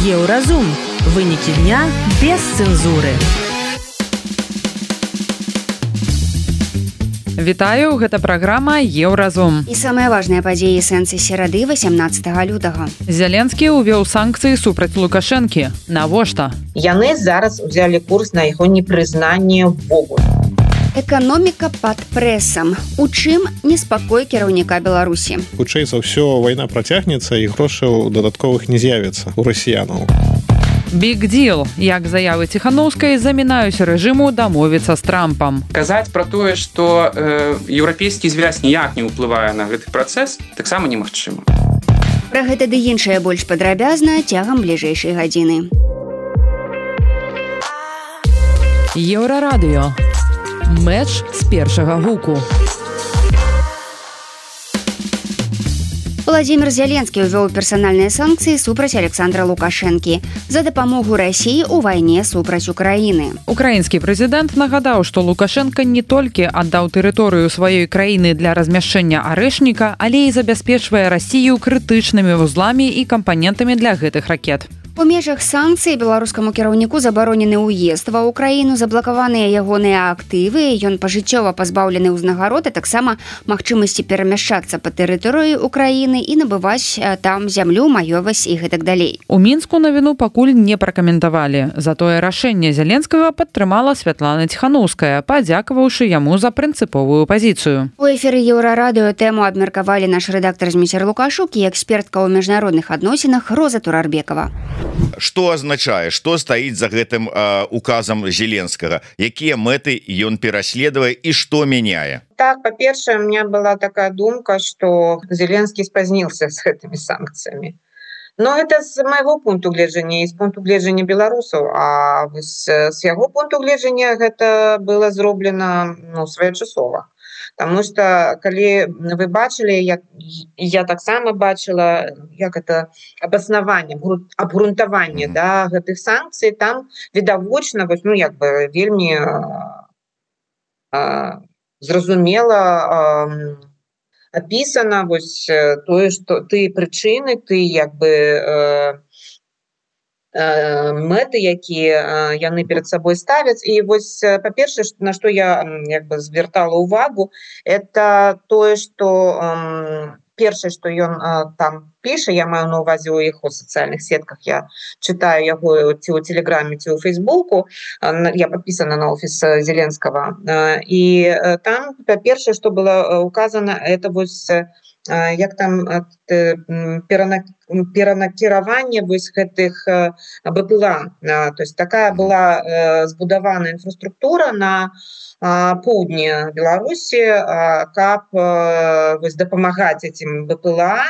Еўразум. Вынікі дня без цэнзуры. Вітаю, гэта праграма Еўразум. І самыя важныя падзеі сэнсы серады 18 лютага. Зеленскі ўвёў санкцыі супраць Лукашэнкі. Навошта? Яны зараз узялі курс на яго непрызнанне ўвогуле. Эканоміка пад прэсам. У чым неспакой кіраўніка Беларусі? Хутчэй за ўсё, вайна працягнецца і грошаў дадатковых не з'явіцца у расіянаў. Big deal. Як заявы Ціханаўскай замінаюць рэжыму дамовіцца з Трампам. Казаць пра тое, што еўрапейскі звяз ніяк не ўплывае на гэты працэс, таксама немагчыма. Пра гэта ды іншае больш падрабязна цягам бліжэйшай гадзіны. Еўрарадыё. Мэч з першага гуку. Владзімір Зеленскі ўвёў персанальныя санкцыі супраць Александра Лукашэнкі за дапамогу Расіі ў вайне супраць Украіны. Украінскі прэзідэнт нагадаў, што Лукашэнка не толькі аддаў тэрыторыю сваёй краіны для размяшчэння арэшніка, але і забяспечвае Расію крытычнымі вузламі і кампанентамі для гэтых ракет. У межах санкцый беларускаму кіраўніку забаронены ўезд ва ўкраіну, заблакаваныя ягоныя актывы, ён пажыццёва пазбаўлены ўзнагарод, а таксама магчымасці перамяшчацца па тэрыторыі Украіны і набываць там зямлю, маёмасць і гэтак далей. У Мінску навіну пакуль не пракаментавалі. Затое рашэнне Зеленскага падтрымала Святлана Ціханаўская, падзякаваўшы яму за прынцыповую пазіцыю. У эфіры Еўрарадыё тэму абмеркавалі наш рэдактар Зміцер Лукашук і экспертка ў міжнародных адносінах Роза Турарбекова. Што азначае, што стаіць за гэтым указам Зеленскага? Якія мэты ён пераследуе і што мяняе? Так, па-першае, у меня была такая думка, што Зеленскі спазнился с гэтымі санкцыямі. Но это з майго пункту гледжання і з пункту гледжання беларусаў, а з яго пункту гледжання гэта было зроблена своечасова. Таму што калі вы бачылі, я таксама бачыла, як это абаснаванне, абгрунтаванне гэтых санкцый, там відавочна вельмі зразумела апісана тое, што ты прычыны, ты мэты, якія яны перад сабой ставяць. І па-першае, на што я звяртала ўвагу, это тое, што першае, што ён там піша, я маю на ўвазе ў яго сацыяльных сетках, я чытаю яго ці ў Телеграме, ці ў Фейсбуку, я падпісана на офіс Зеленскага, і там па-першае, што было указана, это як там перанакіраванне гэтых БПЛА. То есть такая была збудавана інфраструктура на поўдні Беларусі, каб дапамагаць этим БПЛА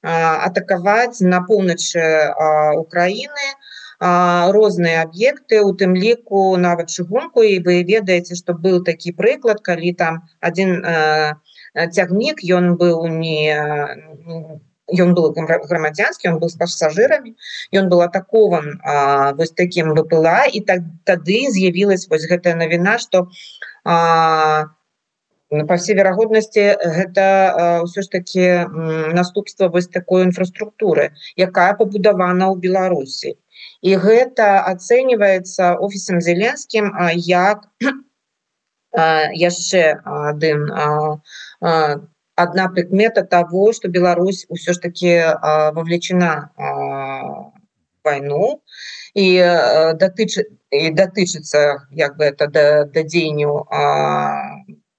атакаваць на поўначы Украіны розныя аб'екты, у тым ліку нават чыгунку. І вы ведаеце, што быў такі прыклад, калі там адзін цягнік, ён быў грамадзянскі, ён быў з пасажырамі, ён быў атакован такім БПЛА, і тады з'явілась гэтая навіна, што па ўсёй верагоднасці гэта ўсё ж такі наступства такой інфраструктуры, якая пабудавана ў Беларусі. І гэта ацэньваецца офісам Зеленскім як яшчэ одна прыкмета того, што Беларусь ўсё ж такі вовлечена в вайну і датычыцца да дзеянняў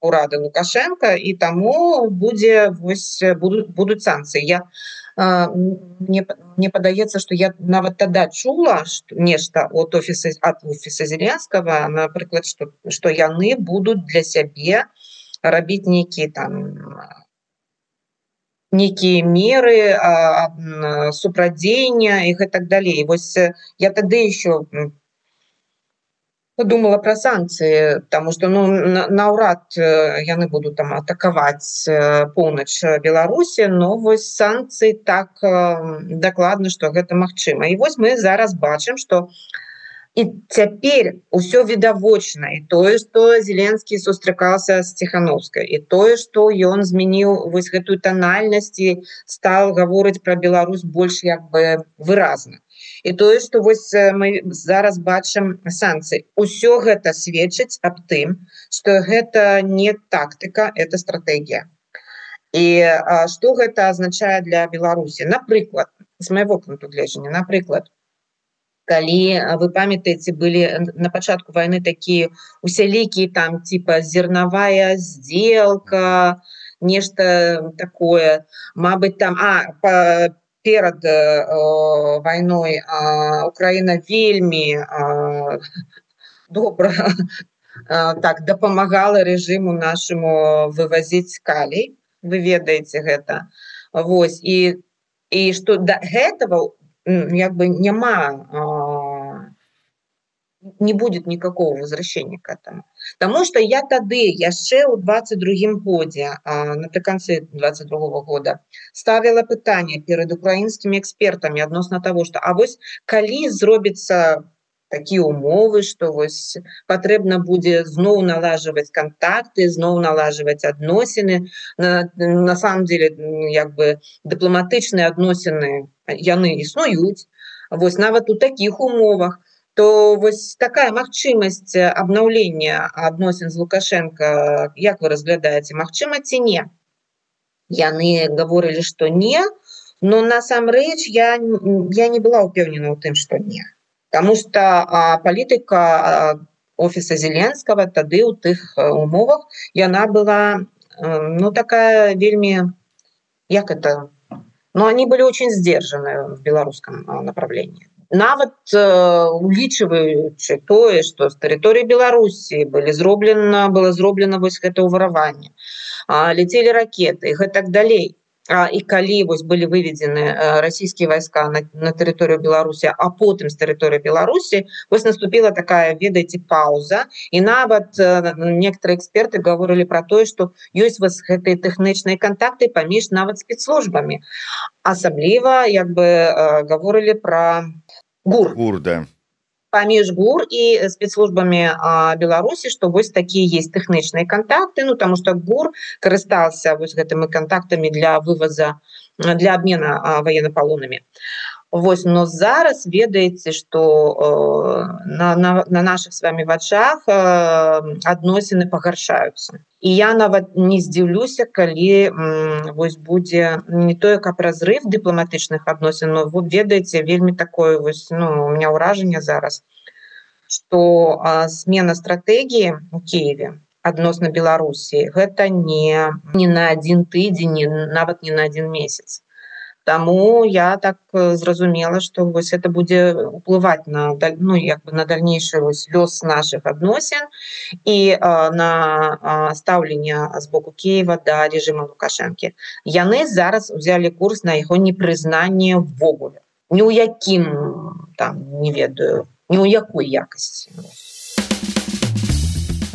урада Лукашенка, і таму будуць санкцыі. Мне падаецца, што я нават тада чула нешта ад офіса Зеленскага, напрыклад, што яны будуць для сябе рабіць нейкія меры супрадзеяння і гэтак далей. Я тады еще подумала про санкцыі, таму што наўрад яны будуць там атакаваць поўнач Беларусі, но санкцыі так дакладна, што гэта магчыма. І мы зараз бачым, што І цяпер усё відавочна, і тое, што Зеленскі сустракаўся з Ціхановскай, і тое, што ён змяніў вось гэтую танальнасць і стал гаворыць пра Беларусь больш як бы выразна. І тое, што вось мы зараз бачым санкцыі. Усё гэта сведчыць аб тым, што гэта не тактыка, это стратэгія. І што гэта азначае для Беларусі? Напрыклад, з майго пункту гледжання, напрыклад, калі вы памятаеце, былі на пачатку вайны такія усялікія там типа зерновая сделка, нешта такое, мабыць там перад вайной Украіна вельмі добра так дапамагала рэжыму нашаму вывазіць калій, вы ведаеце гэта. Вось і што да гэтага як бы няма, не будет никакого возвращения к этому. Потому что я тады, яшчэ ў 22-м годзе, напрыканцы 22-го года, ставила пытанне перед украінскімі экспертамі адносна того, что вось калі зробіцца такія умовы, што вось патрэбна будзе зноў налажваць контакты, зноў налажваць адносіны. На самом деле, як бы дыпламатычныя адносіны яны існуюць. Вось нават у такіх умовах, то вось такая магчымасць абнаўлення адносін з Лукашенко, як вы разглядаеце, магчыма ці не? Яны гаворылі, што не, но насамрэч я не была ўпэўнена ў тым, што не. Потому что палітыка офіса Зеленского тады ў тых умовах яна была такая вельмі, як это, они были очень сдержаны в беларускам направлении. Нават улічваючы тое, што з тэрыторыі Беларусі было зроблена вось гэта ўвараванне, ляцелі ракеты і гэтак далей. І калі вось былі выведзены расійскія вайска на тэрыторыю Беларусі, а потым з тэрыторыі Беларусі, вось наступила такая, ведаеце, пауза, і нават некаторыя эксперты гаворылі пра тое, што ёсць вось гэтыя тэхнічныя кантакты паміж нават спецслужбамі. Асабліва, як бы, гаворылі пра ГУР. ГУР, да. Паміж ГУР і спецслужбамі Беларусі, што вось такія есть тэхнічныя кантакты, тому што ГУР карыстаўся вось гэтымі кантактамі для вываза, для абмена военнопалоннымі. Вось, но зараз ведаеце, што на наших с вами вачах адносіны пагаршаюцца. І я нават не здзіўлюся, калі вось будзе не тое, каб разрыв дыпламатычных адносін, но ведаеце, вельмі такое вось, у меня ўражанне зараз, што смена стратэгіі у Киеве адносна Беларусі гэта не на один тыдзень, нават не на один месяц. Таму я так зразумела, што вось это будзе ўплываць на дальнейшы лёс наших адносін і на стаўленне з боку Киева да рэжыма Лукашэнкі. Яны зараз узялі курс на яго непрызнанне ввогуле. Ні ў якім, не ведаю, ні ў якой якасці.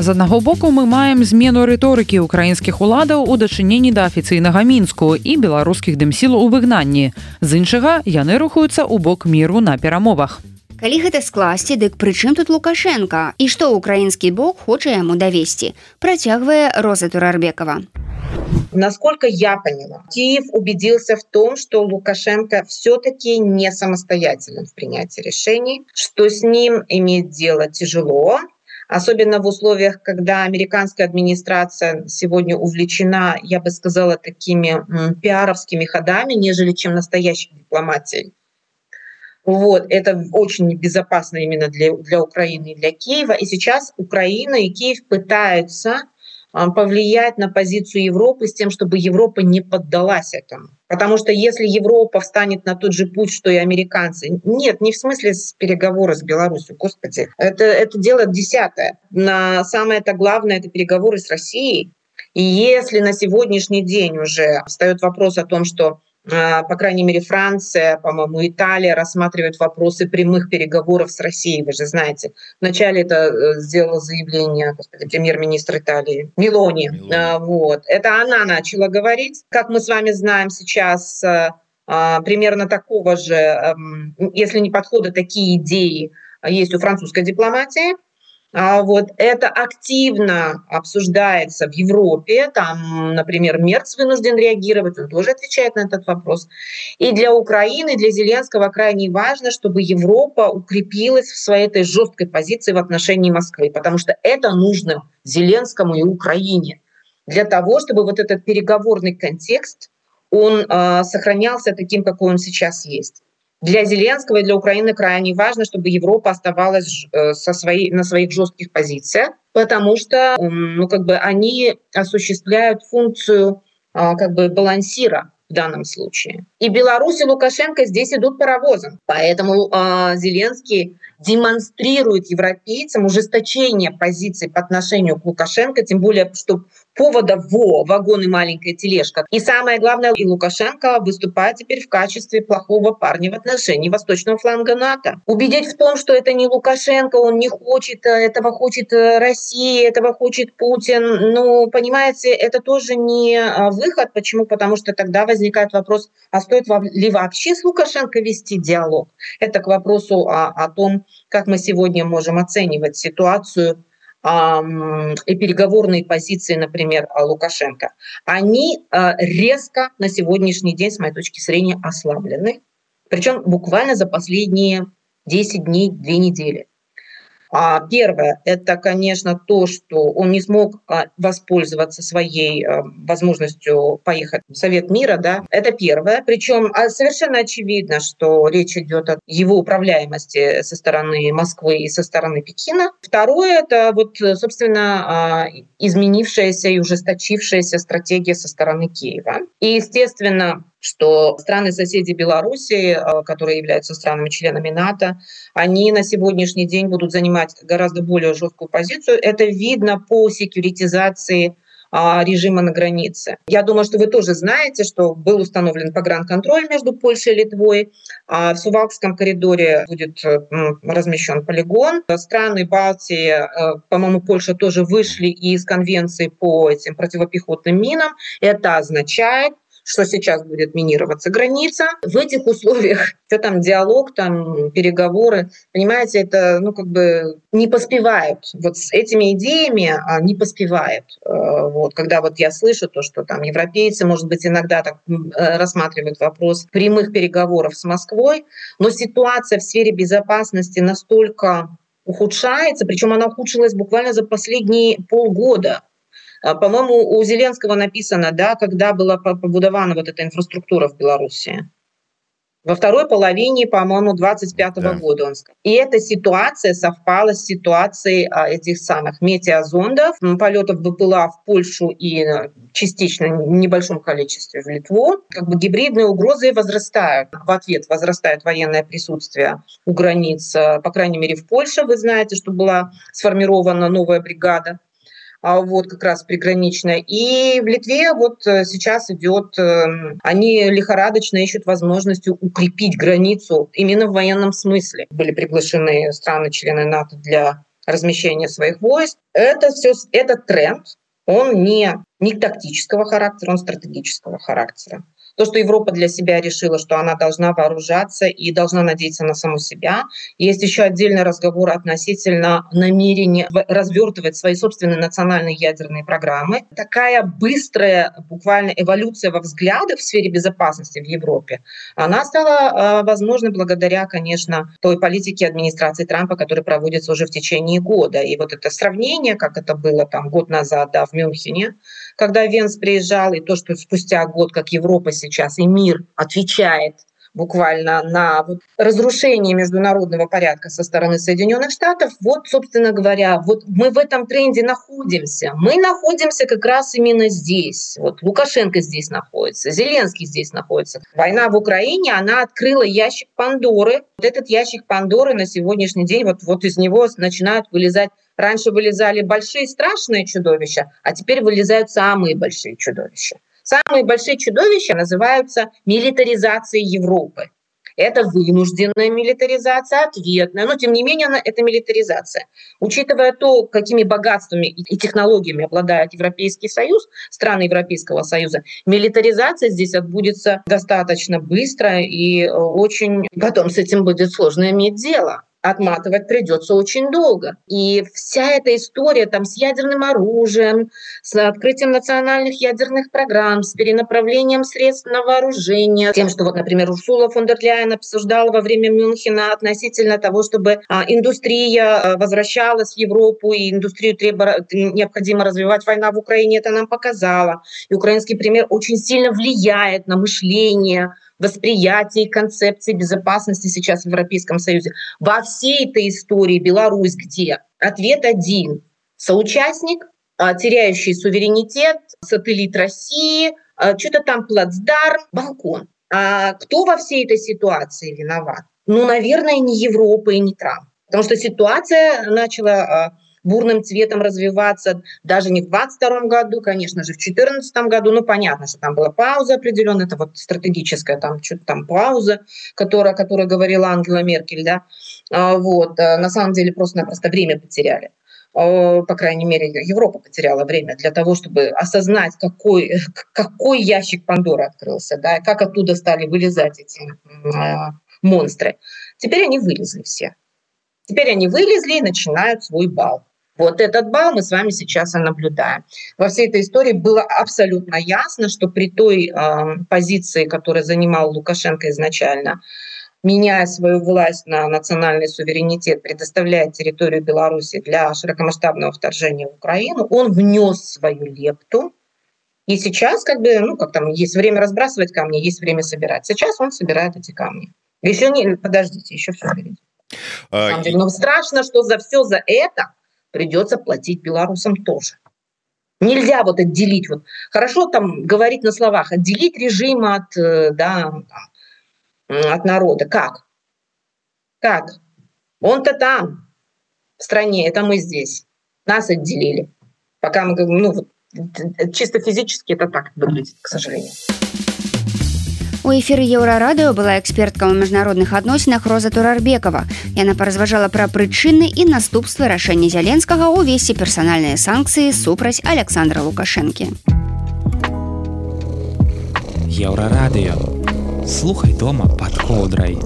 З аднаго боку мы маем змену рыторыкі украінскіх уладаў у дачыненні да афіцыйнага Мінску і беларускіх дымсіл у выгнанні. З іншага, яны рухаюцца ў бок міру на перамовах. Калі гэта скласці, дык пры чым тут Лукашенко? І што украінскі бок хоча яму давесці? Працягвае Роза Турарбекова. Насколько я поняла, Киев убедился в том, что Лукашенко все-таки не самостоятелен в принятии решений, что с ним иметь дело тяжело, особенно в условиях, когда американская администрация сегодня увлечена, я бы сказала, такими пиаровскими ходами, нежели чем настоящей дипломатией. Вот, это очень небезопасно именно для Украины и для Киева. И сейчас Украина и Киев пытаются повлиять на позицию Европы с тем, чтобы Европа не поддалась этому. Потому что если Европа встанет на тот же путь, что и американцы, нет, не в смысле переговоры с Беларусью, господи, это дело десятое. Самое-то главное — это переговоры с Россией. И если на сегодняшний день уже встает вопрос о том, что, по крайней мере, Франция, по-моему, Италия рассматривают вопросы прямых переговоров с Россией. Вы же знаете, вначале это сделал заявление премьер-министр Италии Мелони. Вот. Это она начала говорить. Как мы с вами знаем сейчас, примерно такого же, если не подхода, такие идеи есть у французской дипломатии. Вот это активно обсуждается в Европе. Там, например, Мерц вынужден реагировать, он тоже отвечает на этот вопрос. И для Украины, для Зеленского крайне важно, чтобы Европа укрепилась в своей этой жесткой позиции в отношении Москвы, потому что это нужно Зеленскому и Украине для того, чтобы вот этот переговорный контекст, он сохранялся таким, какой он сейчас есть. Для Зеленского и для Украины крайне важно, чтобы Европа оставалась на своих жестких позициях, потому что они осуществляют функцию балансира в данном случае. И Беларусь и Лукашенко здесь идут паровозом. Поэтому Зеленский демонстрирует европейцам ужесточение позиций по отношению к Лукашенко, тем более, что поводов вагон и маленькая тележка. И самое главное, и Лукашенко выступает теперь в качестве плохого парня в отношении восточного фланга НАТО. Убедить в том, что это не Лукашенко, он не хочет, этого хочет Россия, этого хочет Путин. Ну, понимаете, это тоже не выход. Почему? Потому что тогда возникает вопрос, а стоит ли вообще с Лукашенко вести диалог? Это к вопросу о том, как мы сегодня можем оценивать ситуацию и переговорные позиции, например, Лукашенко. Они резко на сегодняшний день, с моей точки зрения, ослаблены. Причем буквально за последние 10 дней, 2 недели. Первое – это, конечно, то, что он не смог воспользоваться своей возможностью поехать в Совет мира. Да? Это первое. Причем совершенно очевидно, что речь идет о его управляемости со стороны Москвы и со стороны Пекина. Второе – это, собственно, изменившаяся и ужесточившаяся стратегия со стороны Киева. И, естественно, что страны-соседи Беларуси, которые являются странами-членами НАТО, они на сегодняшний день будут занимать гораздо более жесткую позицию. Это видно по секьюритизации режима на границе. Я думаю, что вы тоже знаете, что был установлен погранконтроль между Польшей и Литвой. В Сувалкском коридоре будет размещен полигон. Страны Балтии, по-моему, Польша тоже вышли из конвенции по этим противопехотным минам. Это означает, что сейчас будет минироваться граница. В этих условиях, что там диалог, там переговоры, понимаете, это не поспевают. Вот с этими идеями не поспевают. Когда я слышу то, что там европейцы, может быть, иногда так рассматривают вопрос прямых переговоров с Москвой, но ситуация в сфере безопасности настолько ухудшается, причем она ухудшилась буквально за последние полгода. По-моему, у Зеленского написано, да, когда была побудована вот эта инфраструктура в Беларуси. Во второй половине, по-моему, 25-го года он сказал. И эта ситуация совпала с ситуацией этих самых метеозондов, полетов БПЛА в Польшу и частично в небольшом количестве в Литву. Гибридные угрозы возрастают. В ответ возрастает военное присутствие у границ, по крайней мере, в Польше. Вы знаете, что была сформирована новая бригада. Как раз приграничная. И в Литве сейчас идет, они лихорадочно ищут возможности укрепить границу именно в военном смысле. Были приглашены страны-члены НАТО для размещения своих войск. Этот тренд, он не тактического характера, он стратегического характера. То, что Европа для себя решила, что она должна вооружаться и должна надеяться на саму себя. Есть еще отдельный разговор относительно намерения развертывать свои собственные национальные ядерные программы. Такая быстрая буквально эволюция во взглядах в сфере безопасности в Европе, она стала возможна благодаря, конечно, той политике администрации Трампа, которая проводится уже в течение года. И вот это сравнение, как это было год назад в Мюнхене, когда Венс приезжал, и то, что спустя год, как Европа сейчас и мир отвечает буквально на разрушение международного порядка со стороны Соединенных Штатов, собственно говоря, мы в этом тренде находимся. Мы находимся как раз именно здесь. Лукашенко здесь находится, Зеленский здесь находится. Война в Украине, она открыла ящик Пандоры. Этот ящик Пандоры на сегодняшний день, из него начинают вылезать. Раньше вылезали большие страшные чудовища, а теперь вылезают самые большие чудовища. Самые большие чудовища называются милитаризацией Европы. Это вынужденная милитаризация, ответная, но тем не менее это милитаризация. Учитывая то, какими богатствами и технологиями обладает Европейский Союз, страны Европейского Союза, милитаризация здесь отбудется достаточно быстро и очень потом с этим будет сложно иметь дело. отматывать придется очень долго. И вся эта история там с ядерным оружием, с открытием национальных ядерных программ, с перенаправлением средств на вооружение, тем, что, вот, например, Урсула фон дер Ляйен обсуждала во время Мюнхена относительно того, чтобы индустрия возвращалась в Европу, и индустрию необходимо развивать. Война в Украине это нам показала. И украинский пример очень сильно влияет на мышление, восприятие концепции безопасности сейчас в Европейском Союзе. Во всей этой истории Беларусь где? Ответ один. Соучастник, теряющий суверенитет, сателлит России, что-то там плацдарм, балкон. А кто во всей этой ситуации виноват? Ну, наверное, не Европа и не Трамп. Потому что ситуация начала бурным цветом развиваться даже не в 2022 году, конечно же, в 2014 году. Ну, понятно, что там была пауза определенная, это вот стратегическая там что-то там пауза, которая говорила Ангела Меркель, да. Вот. На самом деле просто-напросто время потеряли. По крайней мере, Европа потеряла время для того, чтобы осознать, какой ящик Пандоры открылся, да, и как оттуда стали вылезать эти монстры. Теперь они вылезли все. Теперь они вылезли и начинают свой бал. Вот этот бал мы с вами сейчас и наблюдаем. Во всей этой истории было абсолютно ясно, что при той позиции, которую занимал Лукашенко изначально, меняя свою власть на национальный суверенитет, предоставляя территорию Беларуси для широкомасштабного вторжения в Украину, он внес свою лепту. И сейчас есть время разбрасывать камни, есть время собирать. Сейчас он собирает эти камни. Подождите, еще все впереди. На самом деле, страшно, что за все за это придется платить белорусам тоже. Нельзя вот отделить. Вот. Хорошо там говорить на словах, отделить режим от народа. Как? Он-то там, в стране, это мы здесь. Нас отделили. Пока мы говорим, чисто физически это так выглядит, к сожалению. У эфіры Еўрарадыё была экспертка ў міжнародных адносінах Роза Турарбекова. Яна паразважала пра прычыны і наступствы рашэння Зяленскага ўвесці персанальныя санкцыі супраць Александра Лукашэнкі. Еўрарадыё. Слухай дома пад коўдрай.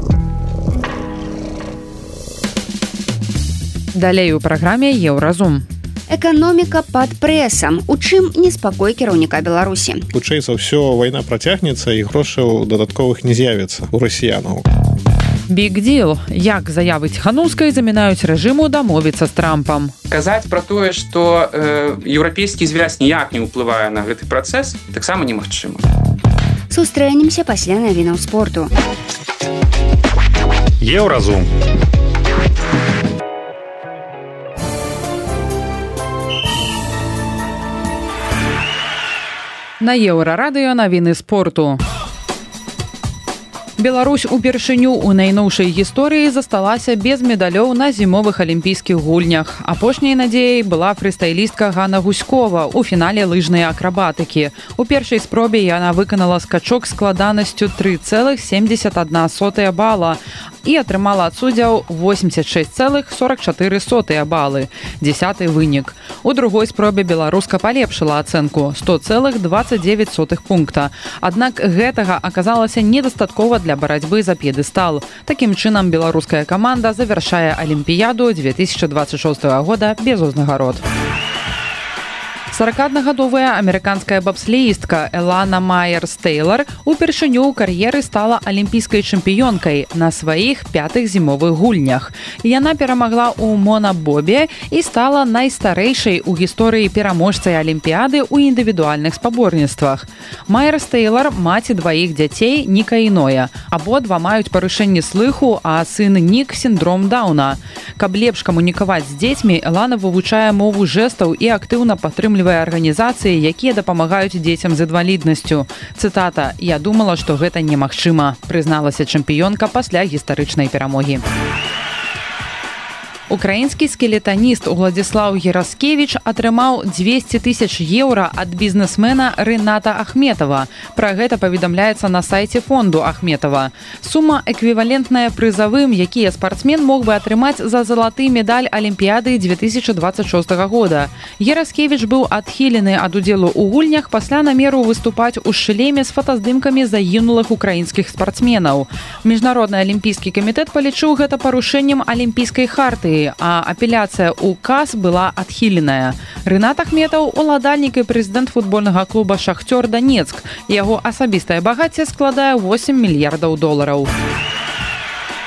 Далей у праграме Еўразум. Эканоміка пад прэсам. У чым неспакой кіраўніка Беларусі? Хутчэй за ўсё, вайна працягнецца і грошаў дадатковых не з'явіцца у расіянаў. Big deal. Як заявы Ціханаўскай замінаюць рэжыму дамовіцца з Трампам. Казаць пра тое, што еўрапейскі звяз ніяк не ўплывае на гэты працэс, таксама немагчыма. Сустрэнемся пасля навінаў спорту. Еўразум. На Еўрарадыё навіны спорту. Беларусь упершыню ў найноўшай гісторыі засталася без медалёў на зімовых алімпійскіх гульнях. Апошняй надзеяй была фрыстайлістка Ганна Гуськова ў фінале лыжнай акрабатыкі. У першай спробе яна выканала скачок складанасцю 3,71 бала і атрымала ад суддзяў 86,44 балы. 10-й вынік. У другой спробе беларуска палепшыла ацэнку 100,29 пункта. Аднак гэтага аказалася недастаткова для барацьбы за п'едэстал. Такім чынам беларуская каманда завяршае Алімпіяду 2026 года без узнагарод. 41-гадовая амерыканская бабслеістка Элана Майерс-Тэйлар упершыню ў кар'еры стала алімпійскай чэмпіёнкай на сваіх 5-х зімовых гульнях. Яна перамагла ў монабобе і стала найстарэйшай у гісторыі пераможцай алімпіяды ў індывідуальных спаборніцтвах. Майерс-Тэйлар маці дваіх дзяцей Ніка і Ноя. Абодва маюць парушэнне слыху, а сын Нік сіндром Дауна. Каб лепш камунікаваць з дзецьмі, Элана вывучае мову жэстаў і актыўна падтрымлівае арганізацыі, якія дапамагаюць дзецям з інваліднасцю. Цытата: «Я думала, што гэта немагчыма», прызналася чэмпіёнка пасля гістарычнай перамогі. Украінскі скелетаніст Уладзіслаў Гераскевіч атрымаў 200 тысяч еўра ад бізнесмена Рыната Ахметова. Пра гэта паведамляецца на сайце фонду Ахметова. Сума эквівалентная прызавым, якія спартсмен мог бы атрымаць за залаты медаль Алімпіяды 2026 года. Гераскевіч быў адхілены ад удзелу ў гульнях пасля намеру выступаць у шлеме з фотаздымкамі загінулых украінскіх спартсменаў. Міжнародны алімпійскі камітэт палічыў гэта парушэннем алімпійскай хартыі, а апеляцыя ў КАС была адхіленая. Рынат Ахметаў – уладальнік і прэзідэнт футбольнага клуба «Шахцёр Донецк». Яго асабістае багацце складае 8 мільярдаў долараў.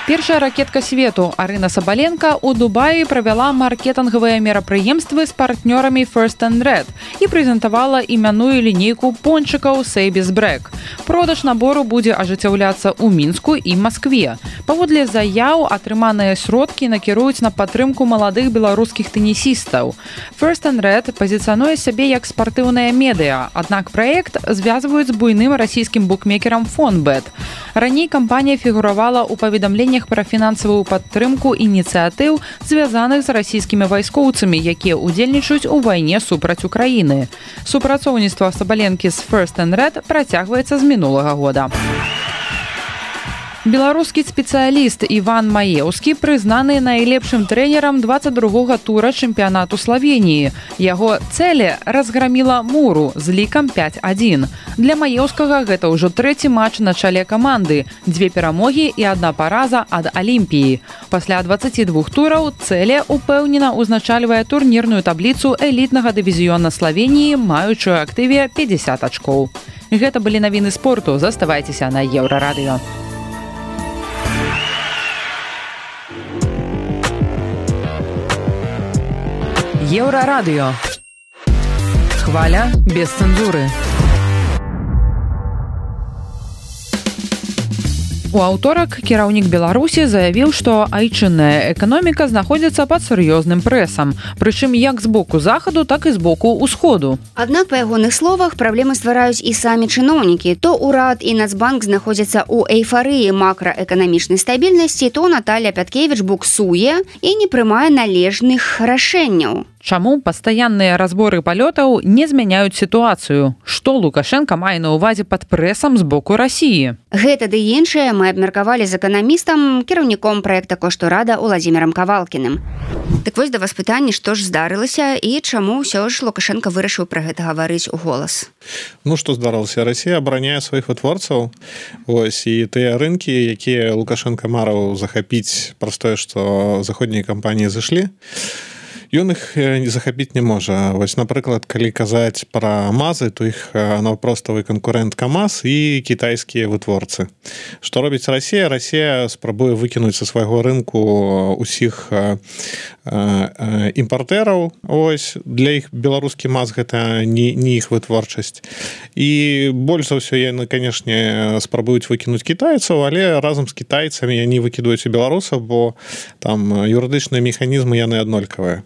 Першая ракетка свету Арына Сабаленко у Дубаі правяла маркетынгавыя мерапрыемствы з партнёрамі First and Red і прэзентавала імяную лінейку пончыкаў Сейбіс Брэк. Продаж набору будзе ажыццяўляцца ў Мінску і Маскве. Паводле заяў, атрыманыя сродкі накіруюць на падтрымку маладых беларускіх тэнісістаў. First and Red пазіцыянуе сябе як спартыўнае медыа, аднак праект звязваюць з буйным расійскім букмекерам Фонбет. Раней кампанія фігуравала ў паведамленнях пра фінансавую падтрымку ініцыятыў, звязаных з расійскімі вайскоўцамі, якія ўдзельнічаюць у вайне супраць Украіны. Супрацоўніцтва Сабаленкі з First and Red працягваецца з мінулага года. Беларускі спецыяліст Іван Маеўскі прызнаны найлепшым трэнерам 22-го тура чэмпіянату Славеніі. Яго цэле разграміла Муру з лікам 5-1. Для Маеўскага гэта ўжо трэці матч на чале каманды, 2 перамогі і 1 параза ад Алімпіі. Пасля 22 тураў цэле упэўнена ўзначальвае турнірную табліцу элітнага дывізіёна Славеніі, маючую актыве 50 ачкоў. Гэта былі навіны спорту. Заставайцеся на Еўрарадыё. Еўрарадыё. Хваля без цэнзуры. У аўторак кіраўнік Беларусі заявіў, што айчынная эканоміка знаходзіцца пад сур'ёзным прэсам, прычым як з боку захаду, так і з боку ўсходу. Аднак, па ягоных словах, праблемы ствараюць і самі чыноўнікі. То ўрад і Нацбанк знаходзяцца ў эйфарыі макраэканамічнай стабільнасці, то Наталья Пяткевіч буксуе і не прымае належных рашэнняў. Чаму пастаянныя разборы палётаў не змяняюць сітуацыю? Што Лукашенка мае на ўвазе пад прэсам з боку Расіі? Гэта ды іншае мы абмеркавалі з эканамістам, кіраўніком праекта «Коштурада» Уладзімірам Кавалкіным. Так вось да вас пытанне, што ж здарылася і чаму ўсё ж Лукашенка вырашыў пра гэта гаварыць у голас? Ну, што здарылася? Расія абараняе сваіх вытворцаў. Ось, і тыя рынкі, якія Лукашенка марыў захапіць праз тое, што заходнія кампаніі зышлі, ён іх захапіць не можа. Вось, напрыклад, калі казаць пра МАЗы, то іх наўпроставы канкурэнт КамАЗ і кітайскія вытворцы. Што робіць Расія? Расія спрабуе выкінуць са свайго рынку усіх імпартэраў. Ось, для іх беларускі МАЗ гэта не іх вытворчасць. І больш за ўсё яны, канешне, спрабуюць выкінуць кітайцаў, але разам з кітайцамі яны выкідаюць і беларусаў, бо там юрыдычныя механізмы яны аднолькавыя.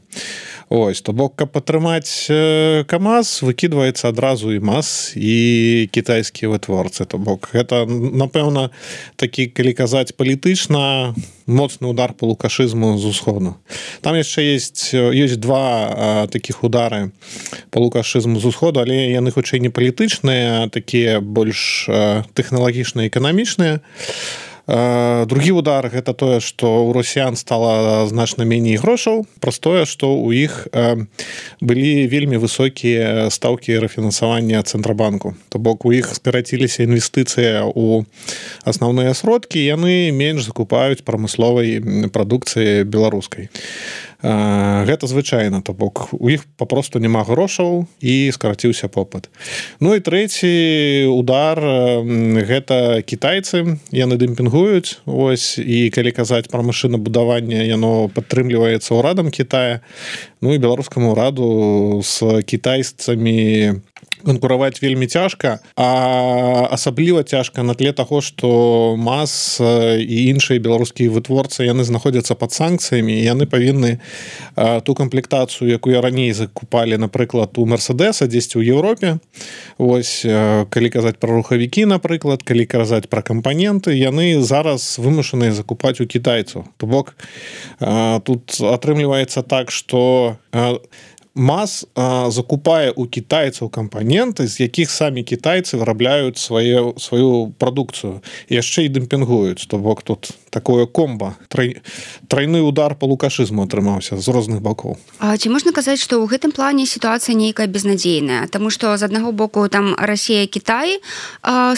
Ось, то бок, каб падтрымаць КамАЗ, выкідваецца адразу і МАЗ, і кітайскія вытворцы. То бок, гэта, напэўна, такі, калі казаць палітычна, моцны удар по лукашызму з усходу. Там яшчэ ёсць два такіх удары по лукашызму з усходу, але яны хутчэй не палітычныя, а такія больш тэхналагічныя, эканамічныя. Другі удар – гэта тое, што ў расіян стала значна меней грошаў, праз тое, што ў іх былі вельмі высокія стаўкі рэфінансавання Цэнтрабанку. То бок у іх скараціліся інвестыцыі ў асноўныя сродкі, яны менш закупаюць прамысловай прадукцыі беларускай. Гэта звычайна, то бок у іх папросту няма грошаў і скараціўся попыт. Ну і трэці удар гэта кітайцы, яны дэмпінгуюць, ось, і калі казаць пра машынабудаванне, яно падтрымліваецца ўрадам Кітая. Ну і беларускаму ўраду з кітайцамі канкураваць вельмі цяжка, а асабліва цяжка на тле таго, што МАЗ і іншыя беларускія вытворцы яны знаходзяцца пад санкцыямі, і яны павінны ту камплектацыю, якую раней закупалі, напрыклад, у Мерседеса дзесьці ў Еўропе. Вось, калі казаць пра рухавікі, напрыклад, калі казаць пра кампаненты, яны зараз вымушаныя закупаць у кітайцаў. То бок тут атрымліваецца так, што МАЗ закупае у кітайцаў кампаненты, з якіх самі кітайцы вырабляюць сваю прадукцыю, яшчэ і дэмпінгуюць. То бок тут такое комба, тройны удар по лукашызму атрымаўся з розных бакоў. А ці можна казаць, што ў гэтым плане сітуацыя нейкая безнадзейная? Таму што з аднаго боку там Расія, Кітай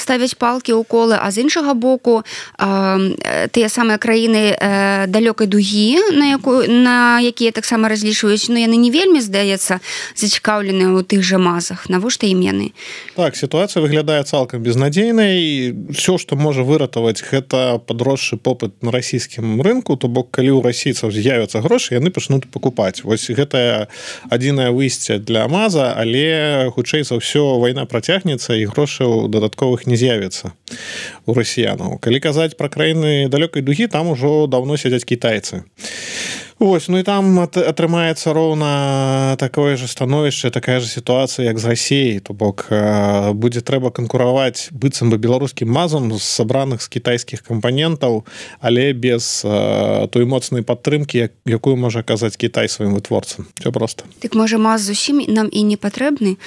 ставяць палкі ў колы, а з іншага боку тыя самыя краіны далёкай дугі, на якія таксама разлічваюць, но яны не вельмі, здаецца, зацікаўленыя ў тых жа МАЗах. Навошта ім яны? Так, сітуацыя выглядае цалкам безнадзейнай. Все, што можа выратаваць, гэта падросшы попыт на расійскім рынку, то бок калі ў расійцаў з'явяцца грошы, яны пачнуць пакупаць. Вось гэта адзінае выйсце для МАЗа, але хутчэй за ўсё вайна працягнецца і грошаў дадатковых не з'явіцца у расіянаў. Калі казаць пра краіны далёкай дугі, там ужо даўно сядзяць кітайцы. Вось, ну і там атрымаецца роўна такое же становішча, такая же сітуацыя, як з Расіяй. То бок будзе трэба канкураваць быццам бы беларускім МАЗам з сабраных з кітайскіх кампанентаў, але без той моцнай падтрымкі, якую можа аказаць Кітай сваім вытворцам. Всё просто. Так можа МАЗ зусім нам і не патрэбны?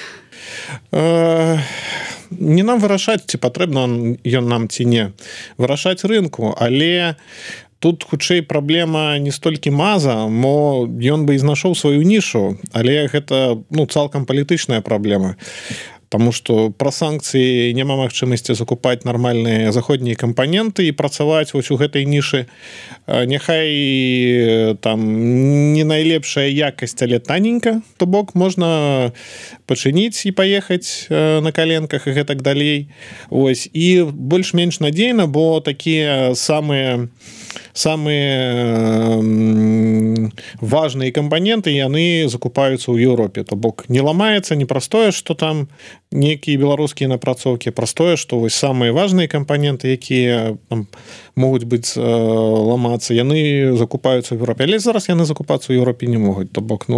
Не нам вырашаць, ці патрэбна ён нам ці не. Вырашаць рынку, але тут хутчэй праблема не столькі МАЗа, мо ён бы і знайшоў сваю нішу, але гэта цалкам палітычная праблема. Таму што пра санкцыі няма магчымасці закупаць нармальныя заходнія кампаненты і працаваць вось у гэтай нішы. Няхай там не найлепшая якасць, але таненька, то бок можна пачыніць і паехаць на каленках і гэтак далей. Ось, і больш-менш надзейна, бо такія самыя важныя кампаненты яны закупаюцца ў Еўропе. То бок не ламаецца не праз тое, што там нейкія беларускія напрацоўкі, праз тое, што вось самыя важныя кампаненты, якія там могуць быць ламацца, яны закупаюцца ў Еўропе. Але зараз яны закупацца ў Еўропе не могуць. То бок,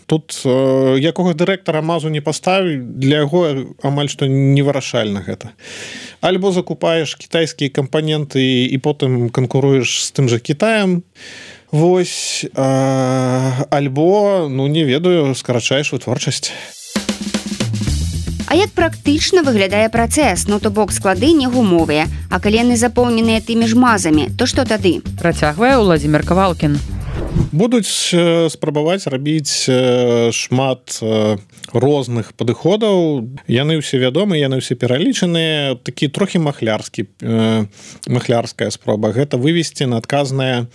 тут якога дырэктара МАЗу не паставіць, для яго амаль што невырашальна гэта. Альбо закупаеш кітайскія кампаненты і потым канкуруеш з тым жа Кітаем, вось, альбо, не ведаю, скарачаеш вытворчасць. А як практычна выглядае працэс? То бок склады не гумовыя, а калі яны запоўненыя тымі ж МАЗамі, то што тады? Працягвае Уладзімир Кавалкін. Будуць спрабаваць рабіць шмат розных падыходаў. Яны ўсе вядомы, яны ўсе пералічаныя. Такі трохі махлярская спроба. Гэта вывесці на адказнае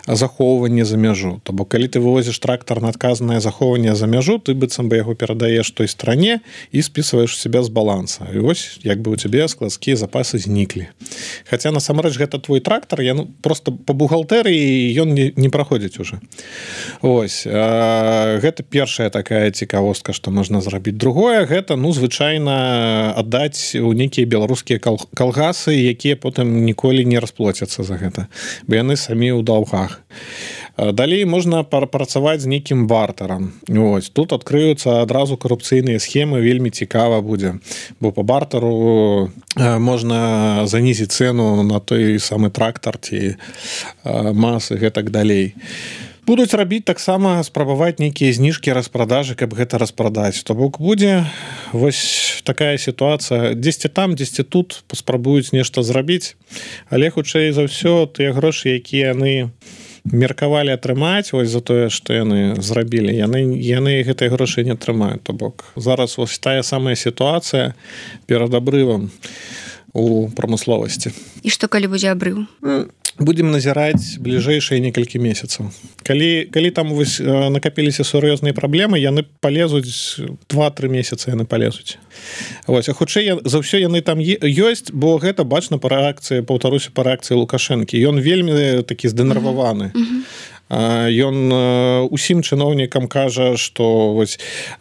захоўванне за мяжу. То бок, калі ты вывозіш трактар на адказнае захоўванне за мяжу, ты быццам бы яго перадаеш той стране і спісваеш себя з баланса. І вось, як бы у цябе складскія запасы зніклі. Хаця, насамрэч, гэта твой трактар, просто па бухгалтэрыі ён не праходзіць уже. Ось, гэта першая такая цікавостка, што можна зрабіць. Другое, гэта, звычайна аддаць у нейкія беларускія калгасы, якія потым ніколі не расплоцяцца за гэта, бо яны самі ў даўгах. Далей можна працаваць з нейкім бартарам. Ось, тут адкрыюцца адразу карупцыйныя схемы, вельмі цікава будзе, бо па бартару можна занізіць цэну на той самы трактар ці МАЗ і гэтак далей. Будуць рабіць таксама спрабаваць нейкія зніжкі распродажы, каб гэта распрадаць. То бок будзе вось такая сітуацыя. Дзесьці там, дзесьці тут паспрабуюць нешта зрабіць, але хутчэй за ўсё тыя грошы, якія яны меркавалі атрымаць вось за тое, што яны зрабілі, яны гэтай грошы не атрымаюць. То бок зараз вось тая самая сітуацыя перад абрывам у прамысловасці. І што калі будзе абрыў? Будзем назіраць бліжэйшыя некалькі месяцаў. Калі там вось накапіліся сур'ёзныя праблемы, яны палезуць 2-3 месяцы яны палезуць. Вось, а хутчэй за ўсё яны там ёсць, бо гэта бачна па рэакцыі, паўтаруся, па рэакцыі Лукашэнкі. Ён вельмі такі здэнерваваны. ён усім чыноўнікам кажа, што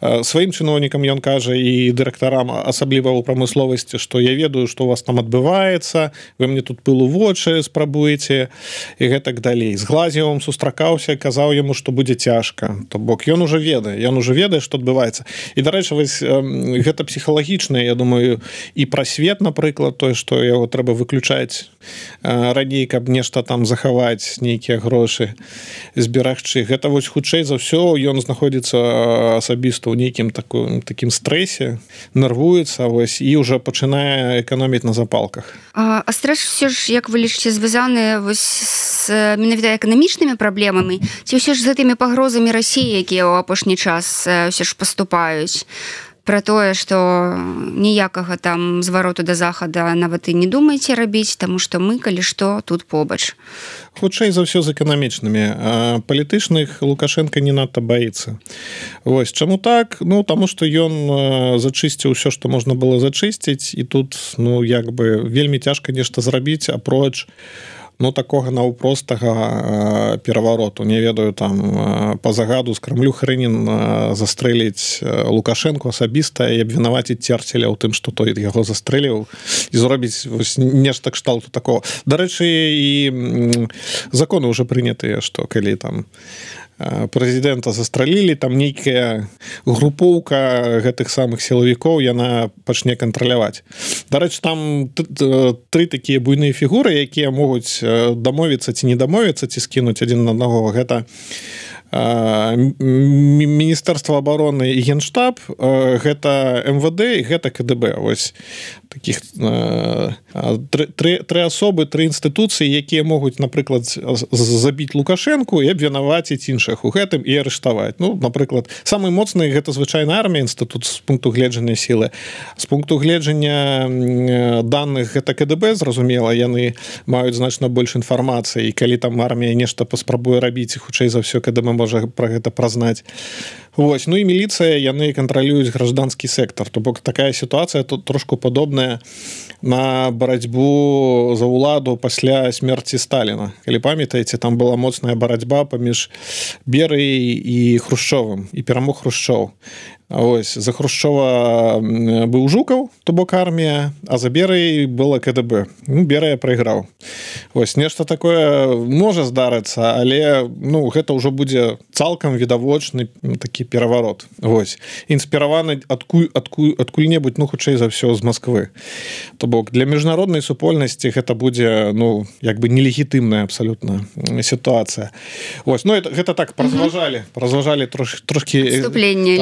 сваім чыноўнікам ён кажа і дырэктарам, асабліва ў прамысловасці, што я ведаю, што у вас там адбываецца, вы мне тут пыл у вочы спрабуеце і гэтак далей. З Глазьевым сустракаўся, казаў яму, што будзе цяжка. То бок ён уже ведае, што адбываецца. І, дарэчы, гэта псіхалагічна, я думаю, і пра свет, напрыклад, тое, што яго трэба выключаць раней, каб нешта там захаваць, нейкія грошы зберагчы. Гэта хутчэй за ўсё ён знаходзіцца асабіста ў нейкім такім стрэсе, нервуецца і ўжо пачынае эканоміць на запалках. А стрэс все ж, як вы лічыце, звязаны з менавіта эканамічнымі праблемамі, ці ўсё ж з гэтымі пагрозамі Расіі, якія ў апошні час ўсё ж паступаюць? Пра тое, што ніякага там звароту да захада нават і не думаеце рабіць, таму што мы, калі што, тут побач. Хутчэй за ўсё з эканамічнымі. Палітычных Лукашенко не надта баіцца. Чаму так? Таму што ён зачысціў ўсё, што можна было зачысціць, і тут вельмі цяжка нешта зрабіць, апроч такога наўпростага перавароту. Не ведаю, там па загаду з Крамлю Хрынін застрэліць Лукашенко асабіста і абвінаваціць Церцеля ў тым, што той яго застрэліў, і зробіць нешта кшталту такого. Дарэчы, і законы ўжо прынятыя, што калі там прэзідэнта застралілі, там нейкая групоўка гэтых самых сілавікоў яна пачне кантраляваць. Дарэчы, там 3 такія буйныя фігуры, якія могуць дамовіцца ці не дамовіцца, ці скінуць адзін на аднаго. Гэта Міністэрства абароны і Генштаб, гэта МВД і гэта КДБ. Таких 3 асобы, 3 інстытуцыі, якія могуць, напрыклад, забіць Лукашенку і абвінаваціць іншых у гэтым і арыштаваць. Напрыклад, самы моцны гэта звычайна армія, інстытут з пункту гледжання сілы. З пункту гледжання даных гэта КДБ, зразумела, яны маюць значна больш інфармацыі, і калі там армія нешта паспрабуе рабіць, хутчэй за ўсё КДБ можа пра гэта празнаць. І міліцыя, яны кантралююць гражданскі сектор. То бок такая сітуацыя тут трошку падобная на барацьбу за ўладу пасля смерці Сталіна. Калі памятаеце, там была моцная барацьба паміж Берыяй і Хрушчовым, і перамог Хрушчоў. За Хрушчова быў Жукаў, то бок армія, а за Берыяй была КДБ. Берыя прайграў. Нешта такое можа здарыцца, але гэта ўжо будзе цалкам відавочны такі пераварот. Інспіраваны адкуль-небудзь, хутчэй за ўсё з Масквы. То бок для міжнароднай супольнасці гэта будзе нелегітымная абсалютна сітуацыя. Гэта так празважалі трошкі адступленне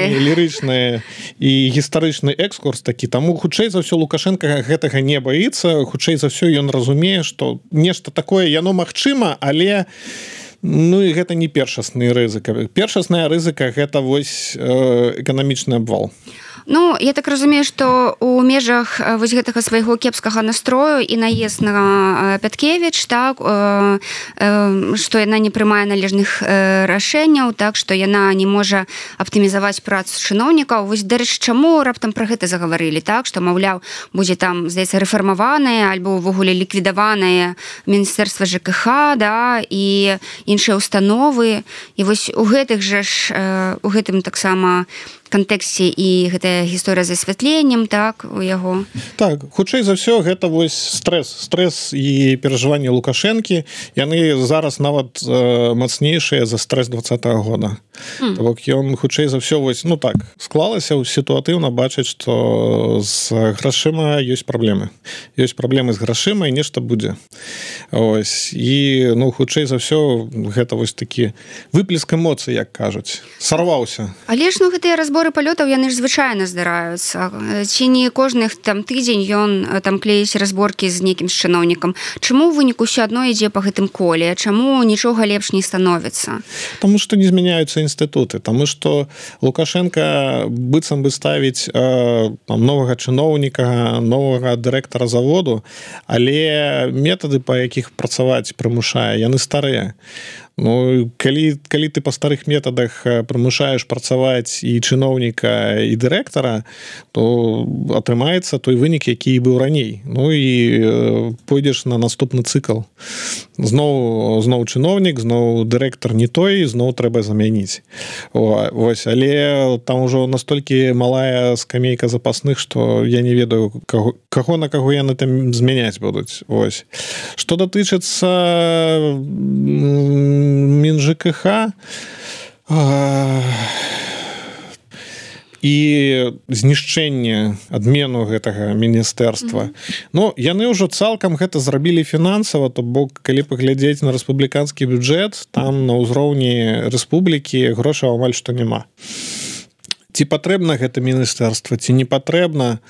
лірычнае і гістарычны экскурс такі. Таму хутчэй за ўсё Лукашенко гэтага не баіцца, хутчэй за ўсё ён разумее, што нешта такое яно магчыма, але і гэта не першасны рызыка. Першасная рызыка гэта эканамічны абвал. Я так разумею, што ў межах гэтага свайго кепскага настрою і наезд на Пяткевіч, так, што яна не прымае належных рашэнняў, так, што яна не можа аптымізаваць працу чыноўнікаў. Дарэчы, чаму раптам пра гэта загаварылі, так, што, маўляў, будзе там, здаецца, рэфармаванае альбо ўвогуле ліквідаванае Міністэрства ЖКХ, да, і іншыя установы. І у гэтым таксама кантэксце і гэтая гісторыя з асвятленнем, так, у яго. Так, хутчэй за ўсё гэта стресс і перажыванні Лукашэнкі, яны зараз нават мацнейшыя за стресс 20-го года. То бок ён хутчэй за ўсё так склалася сітуатыўна бачыць, што з грашыма ёсць праблемы. Ёсць праблемы з грашыма і нешта будзе. І хутчэй за ўсё гэта такі выплеск эмоцый, як кажуць. Сарваўся. Але ж гэтыя разборы палётаў, яны ж звычайна здараюцца. Ці не кожны там тыдзень ён там клеіць разборкі з нейкім чыноўнікам. Чаму ў выніку ўсё адно ідзе па гэтым коле? Чаму нічога лепш не становіцца? Таму што не змяняюцца інстытуты. Таму што Лукашенко быццам бы ставіць новага чыноўніка, новага дырэктара заводу, але метады, па якіх працаваць прымушае, яны старыя. Ну, калі ты па старых метадах прымушаеш працаваць і чыноўніка і дырэктара, то атрымаецца той вынік, які быў раней. Ну і пойдзеш на наступны цыкл. Зноў чыноўнік, зноў дырэктар не той, зноў трэба замяніць. Вось, але там ужо настолькі малая скамейка запасных, што я не ведаю, каго на каго яны там змяняць будуць. Вось. Што датычыцца МінЖКХ і знішчэння адмену гэтага міністэрства. Ну, яны ўжо цалкам гэта зрабілі фінансава, то бок, калі паглядзець на рэспубліканскі бюджэт, там на ўзроўні рэспублікі грошаў амаль што няма. Ці патрэбна гэта міністэрства, ці не патрэбна?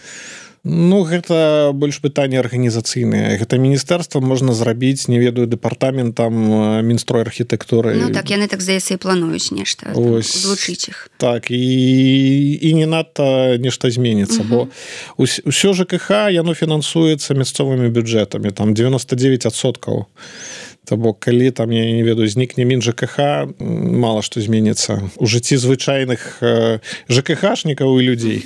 Ну, гэта больш пытанне арганізацыйнае. Гэта міністэрства можна зрабіць, не ведаю, дэпартаментам Мінстрой архітэктуры. Ну, так, яны, так здаецца, і плануюць нешта, злучыць іх. Так, і не надта нешта зменіцца, бо ўсё ЖКХ, яно фінансуецца мясцовымі бюджэтамі, там 99%. То бок, калі там, я не ведаю, знікне МінЖКХ, мала што зменіцца у жыцці звычайных ЖКХшнікаў і людзей.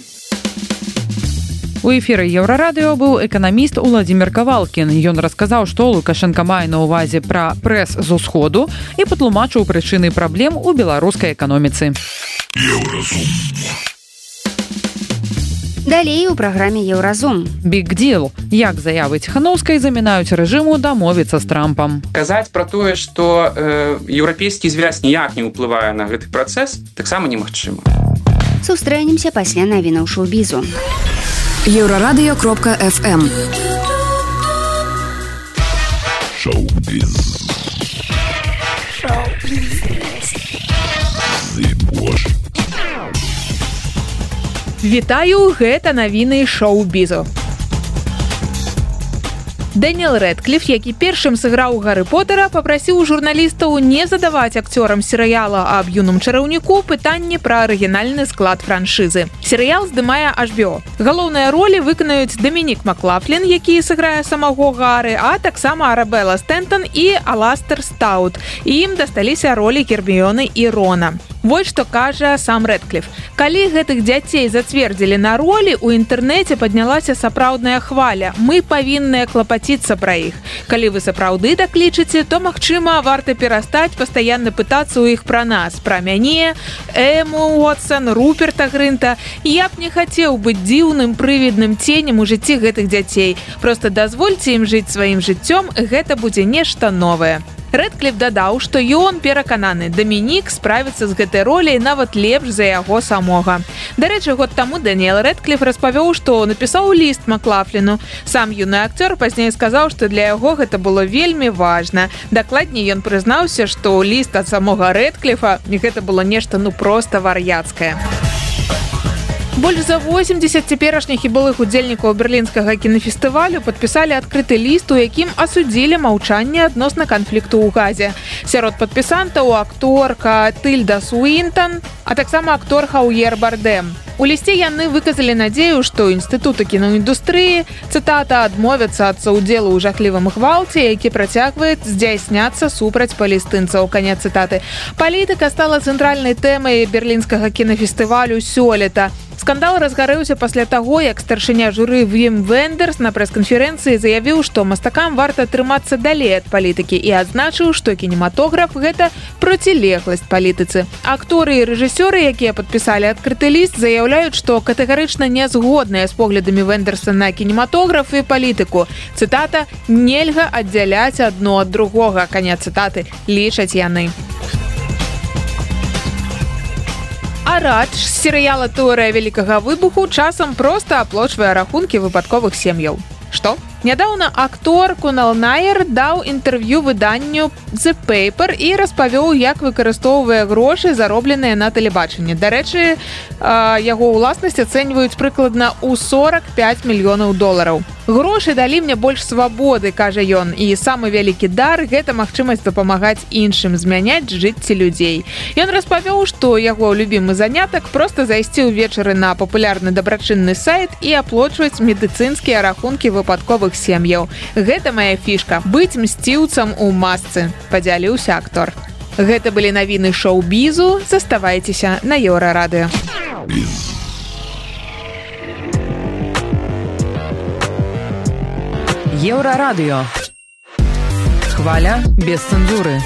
У эфіры Еўрарадыё быў эканаміст Уладзімір Кавалкін. Ён расказаў, што Лукашенка мае на ўвазе пра прэс з усходу і патлумачыў прычыны праблем у беларускай эканоміцы. Далей у праграме Еўразум. Big Deal. Як заявы Ціханаўскай замінаюць рэжыму дамовіцца з Трампам. Казаць пра тое, што еўрапейскі звяз ніяк не ўплывае на гэты працэс, таксама немагчыма. Сустрэнемся пасля навінаў шоу-бізу. Еврорадио.фм Шоу-біз. Вітаю, гэта навіны шоу-бізу. Дэніэл Рэдкліф, які першым сыграў Гары Потара, папрасіў журналістаў не задаваць акцёрам серыяла аб юным чараўніку пытанні пра арыгінальны склад франшызы. Серыял здымае HBO. Галоўныя ролі выканаюць Дамінік Маклафлін, які сыграе самого Гары, а таксама Арабелла Стэнтон і Аластер Стаут. І ім дасталіся ролі Герміёны і Рона. Вось што кажа сам Рэдкліф. Калі гэтых дзяцей зацвердзілі на ролі, у інтэрнэце паднялася сапраўдная хваля. Мы павінныя клапаціцца пра іх. Калі вы сапраўды так лічыце, то, магчыма, варта перастаць пастаянна пытацца ў іх пра нас, пра мяне, Эму Уотсон, Руперта Грынта. Я б не хацеў быць дзіўным прывідным ценем у жыцці гэтых дзяцей. Проста дазвольце ім жыць сваім жыццём, гэта будзе нешта новае. Рэдкліф дадаў, што ён перакананы, Дамінік справіцца з гэтай роляй нават лепш за яго самога. Дарэчы, год таму Дэніэл Рэдкліф распавёў, што напісаў ліст Маклафліну. Сам юны акцёр пазней сказаў, што для яго гэта было вельмі важна. Дакладней, ён прызнаўся, што ліст ад самога Рэдкліфа гэта было нешта проста вар'яцкае. Больш за 80 цяперашніх і былых удзельнікаў берлінскага кінафестывалю падпісалі адкрыты ліст, у якім асудзілі маўчанне адносна канфлікту ў Газе. Сярод падпісантаў акторка Тыльда Суінтон, а таксама актор Хаўер Бардэм. У лісце яны выказалі надзею, што інстытуты кіноіндустрыі, цытата, адмовяцца ад саўдзелу ў жахлівым гвалце, які працягвае здзяйсняцца супраць палестынцаў. Канец цытаты. Палітыка стала цэнтральнай тэмай берлінскага кінафестывалю сёлета. Скандал разгарэўся пасля таго, як старшыня журы Вім Вендерс на прэс-канферэнцыі заявіў, што мастакам варта трымацца далей ад палітыкі і адзначыў, што кінематограф – гэта процілегласць палітыцы. Акторы і рэжысёры, якія падпісалі адкрыты ліст, заяўляюць, што катэгарычна не згодныя з поглядамі Вендерса на кінематограф і палітыку. Цытата «Нельга аддзяляць адно ад другога». Канец цытаты, лічаць яны. А Радж з серыяла «Тэорыя вялікага выбуху» часам проста аплочвае рахункі выпадковых сем'яў. Што? Нядаўна актор Кунал Найер даў інтэрв'ю выданню The Paper і распавёў, як выкарыстоўвае грошы, заробленыя на тэлебачанні. Дарэчы, яго ўласнасць ацэньваюць прыкладна ў $45 мільёнаў. Грошы далі мне больш свабоды, кажа ён, і самы вялікі дар – гэта магчымасць дапамагаць іншым, змяняць жыцці людзей. Ён распавёў, што яго любімы занятак – проста зайсці ўвечары на папулярны дабрачынны сайт і аплочваць медыцынскія рахункі выпадковых сем'яў. Гэта моя фішка – быць мсціўцам у масцы, падзяліўся актор. Гэта былі навіны шоу-бізу, заставайцеся на Еўрарадыё. Еўрарадыё. Хваля без цэнзуры.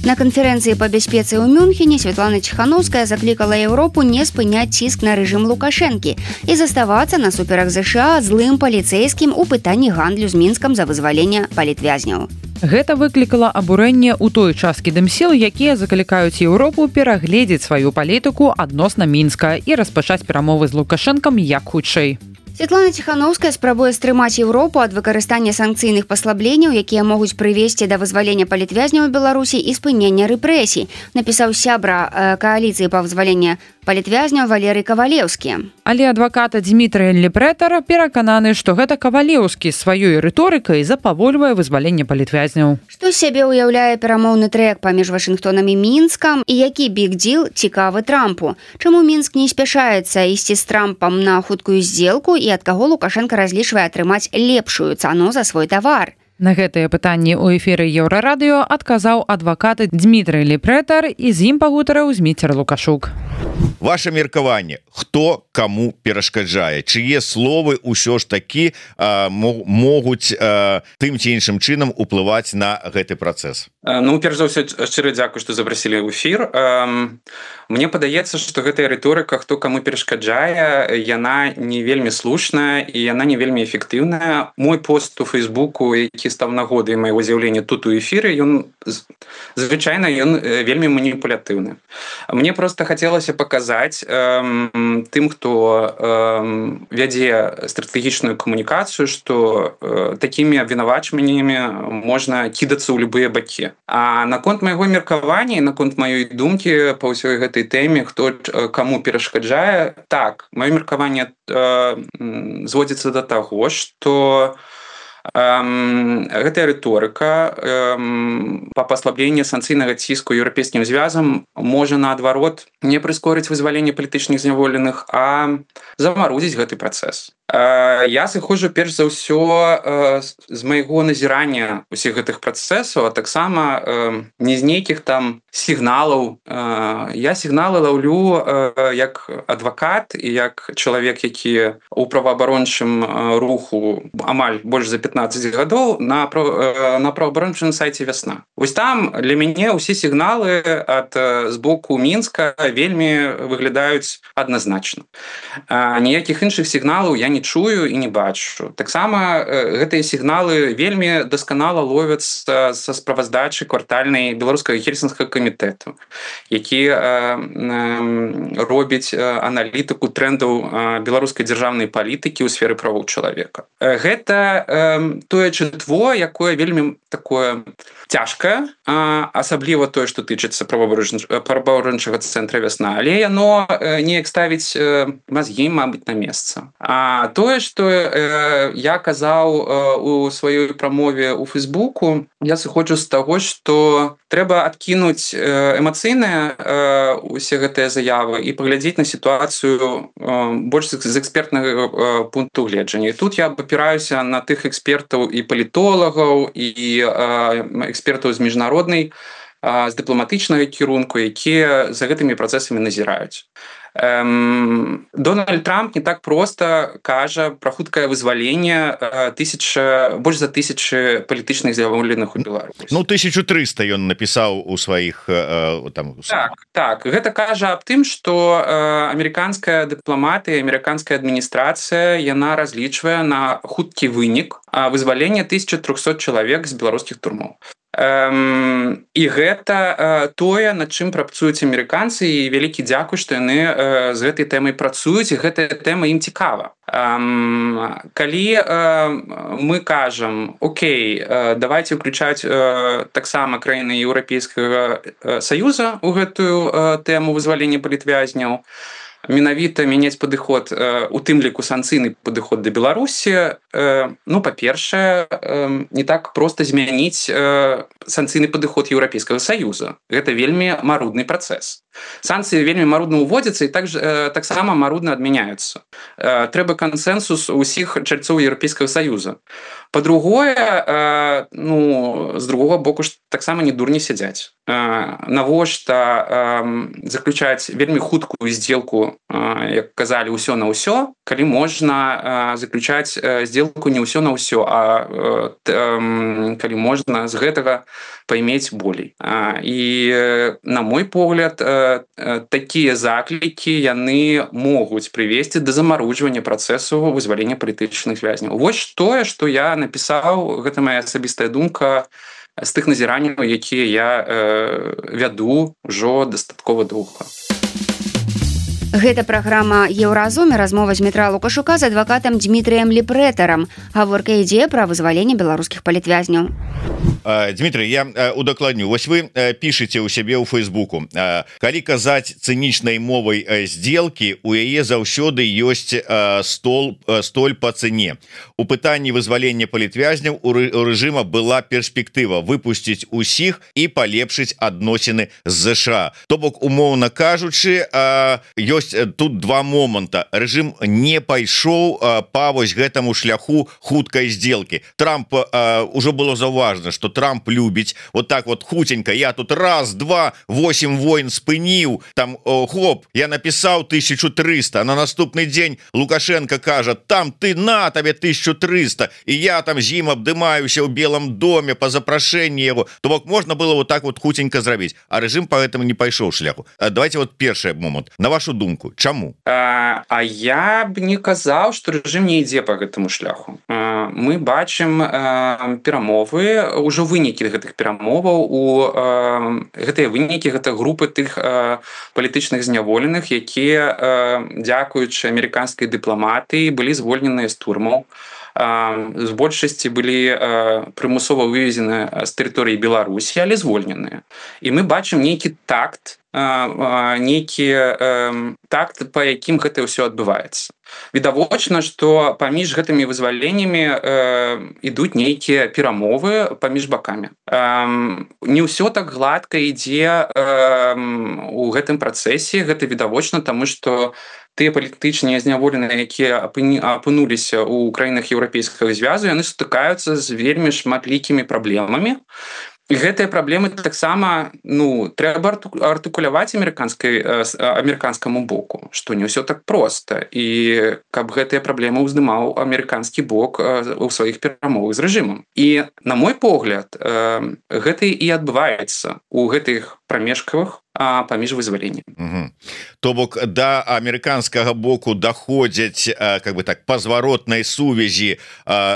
На канферэнцыі па бяспецы ў Мюнхене Святлана Ціханаўская заклікала Еўропу не спыняць ціск на рэжым Лукашэнкі і заставацца насуперак ЗША злым паліцэйскім у пытанні гандлю з Мінскам за вызваленне палітвязняў. Гэта выклікала абурэнне ў той часткі дымсіл, якія заклікаюць Еўропу перагледзець сваю палітыку адносна Мінска і распачаць перамовы з Лукашэнкам як хутчэй. Святлана Ціханаўская спрабуе стрымаць Еўропу ад выкарыстання санкцыйных паслабленняў, якія могуць прывесці да вызвалення палітвязняў у Беларусі і спынення рэпрэсій, напісаў сябра кааліцыі па вызваленні палітвязняў Валерый Кавалеўскі. Але адвакат Дмітрый Лепрэтар перакананы, што гэта Кавалеўскі сваёй рыторыкай запавольвае вызваленне палітвязняў. Што з сябе ўяўляе перамоўны трэк паміж Вашынгтонам і Мінскам і які биг-діл цікавы Трампу? Чаму Мінск не спяшаецца ісці з Трампам на хуткую здзелку і ад каго Лукашенко разлічвае атрымаць лепшую цану за свой тавар? На гэтыя пытанні ў эфіры Еўрарадыё адказаў адвакат Дмітрый Лепрэтар і з ім пагутарыў Зміцер Лукашук. Ваше меркаванне, хто каму перашкаджае, чые словы ўсё ж такі могуць тым ці іншым чынам уплываць на гэты працэс? Ну, перш за ўсё, шчыра дзякуй, што запрасілі ў эфір. Мне падаецца, што гэтая рыторыка, хто каму перашкаджае, яна не вельмі слушная і яна не вельмі эфектыўная. Мой пост у Фейсбуку, які стаў нагодай майго з'яўлення тут у эфіры, звычайна ён вельмі маніпулятыўны. Мне проста хацелася паказаць тым, хто вядзе стратэгічную камунікацыю, што такімі абвінавачваннямі можна кідацца ў любыя бакі. А наконт майго меркавання і наконт маёй думкі па ўсёй гэтай тэме, хто каму перашкаджае, так, маё меркаванне зводзіцца да таго, што гэтая рыторыка па паслабленні санкцыйнага ціску еўрапейскім звязам можа наадварот не прыскорыць вызваленне палітычных зняволеных, а замарудзіць гэты працэс. Я сыходжу перш за ўсё з майго назірання ўсіх гэтых працэсаў, а таксама не з нейкіх там сігналаў. Я сігналы лаўлю як адвакат і як чалавек, які ў праваабарончым руху амаль больш за 15 гадоў на праваабарончым сайце «Вясна». Вось там для мяне ўсе сігналы з боку Мінска вельмі выглядаюць адназначна. Ніякіх іншых сігналаў я не чую і не бачу. Таксама гэтыя сігналы вельмі дасканала ловяцца са справаздачы квартальнай беларускага хельсінскага камітэту, які робіць аналітыку трендаў беларускай дзяржаўнай палітыкі ў сферы правоў чалавека. Гэта тое чытво, якое вельмі такое цяжкае, асабліва тое, што тычыцца праваабарончага цэнтра «Вясна», але яно неяк ставіць мазгі, мабыць, на месца. А тое, што я казаў у сваёй прамове ў Фейсбуку, я сыходжу з таго, што трэба адкінуць эмацыйныя усе гэтыя заявы і паглядзець на сітуацыю больш з экспертнага пункту гледжання. І тут я абапіраюся на тых экспертаў і палітолагаў, і экспертаў з міжнароднай, з дыпламатычнага кірунку, якія за гэтымі працэсамі назіраюць. Дональд Трамп не так проста кажа пра хуткае вызваленне больш за 1000 палітычных зняволеных у Беларусі. Ну, 1300 ён напісаў у сваіх Так, гэта кажа аб тым, што амерыканская дыпламатыя, амерыканская адміністрацыя, яна разлічвае на хуткі вынік вызвалення 1300 чалавек з беларускіх турмоў. І гэта тое, над чым працуюць амерыканцы, і вялікі дзякуй, што яны з гэтай тэмай працуюць, і гэтая тэма ім цікава. Калі мы кажам, окей, давайте ўключаць таксама краіны Еўрапейскага Саюза ў гэтую тэму вызвалення палітвязняў, менавіта мяняць падыход, у тым ліку санкцыйны падыход да Беларусі, ну, па-першае, не так проста змяніць санкцыйны падыход Еўрапейскага Саюза. Гэта вельмі марудны працэс. санкцыі вельмі марудна ўводзяцца і таксама марудна адмяняюцца. Трэба кансэнсус усіх чальцоў Еўрапейскага Саюза. Па-другое, з другога боку ж таксама не дурні сядзяць. Навошта заключаць вельмі хуткую сделку, як казалі, ўсё на ўсё, калі можна заключаць сделку не ўсё на ўсё, а калі можна з гэтага паймець болей. І на мой погляд, такія заклікі яны могуць прывесці да замарожвання працэсу вызвалення палітычных вязняў. Вось тое, што я напісаў, гэта моя асабістая думка з тых назіранняў, якія я вяду ўжо дастаткова доўга. Гэта праграма «Еўразум» і размова з Дмітра Лукашука з адвакатам Дмітрыем Ліпрэтарам. Гаворка ідзе пра вызваленне беларускіх палітвязняў. Дмитрий, я удакладню. Вось вы пішаце ў сябе ў Фейсбуку. Калі казаць цынічнай мовай сделкі, у яе заўсёды ёсць столь па цэне. У пытанні вызвалення палітвязняў у рэжыма была перспектыва выпусціць усіх і палепшыць адносіны з ЗША. То бок, умоўна кажучы, ёсць тут два моманта. Рэжым не пайшоў па вось гэтаму шляху хуткай сделкі. Трамп ужо было заўважна, што Трамп любіць вот так вот хутенька, я тут раз, два, 8 войн спыніў, там хоп, я напісаў 1300, а на наступны дзень Лукашенко кажа, там ты на табе 1300, і я там з ім абдымаюся ў Белом доме па запрашэнні яго. То бок можна было вот так вот хутенька зрабіць, а рэжым па гэтаму не пайшоў шляху. Давайте вот першы момант. На вашу думку, чаму? А я б не казаў, што рэжым не ідзе па гэтаму шляху. Мы бачым перамовы, ўжо вынікі гэтых перамоваў, гэтыя вынікі, гэта групы тых палітычных зняволеных, якія, дзякуючы амерыканскай дыпламатыі, былі звольненыя з турмаў. З большасці былі прымусова вывезены з тэрыторыі Беларусі, але звольненыя. І мы бачым нейкі такт, па якім гэта ўсё адбываецца. Відавочна, што паміж гэтымі вызваленнямі ідуць нейкія перамовы паміж бакамі. Не ўсё так гладка ідзе у гэтым працэсе, гэта відавочна, таму што тыя палітычныя зняволеныя, якія апынуліся ў краінах Еўрапейскага звязу, яны сутыкаюцца з вельмі шматлікімі праблемамі. І гэтыя праблемы таксама трэба артыкуляваць амерыканскаму боку, што не ўсё так проста. І каб гэтыя праблемы ўздымаў амерыканскі бок у сваіх перамовах з рэжымам. І, на мой погляд, гэта і адбываецца ў гэтых прамежкавых паміж вызваленнем. То бок да амерыканскага боку даходзяць как бы так па зваротнай сувязі,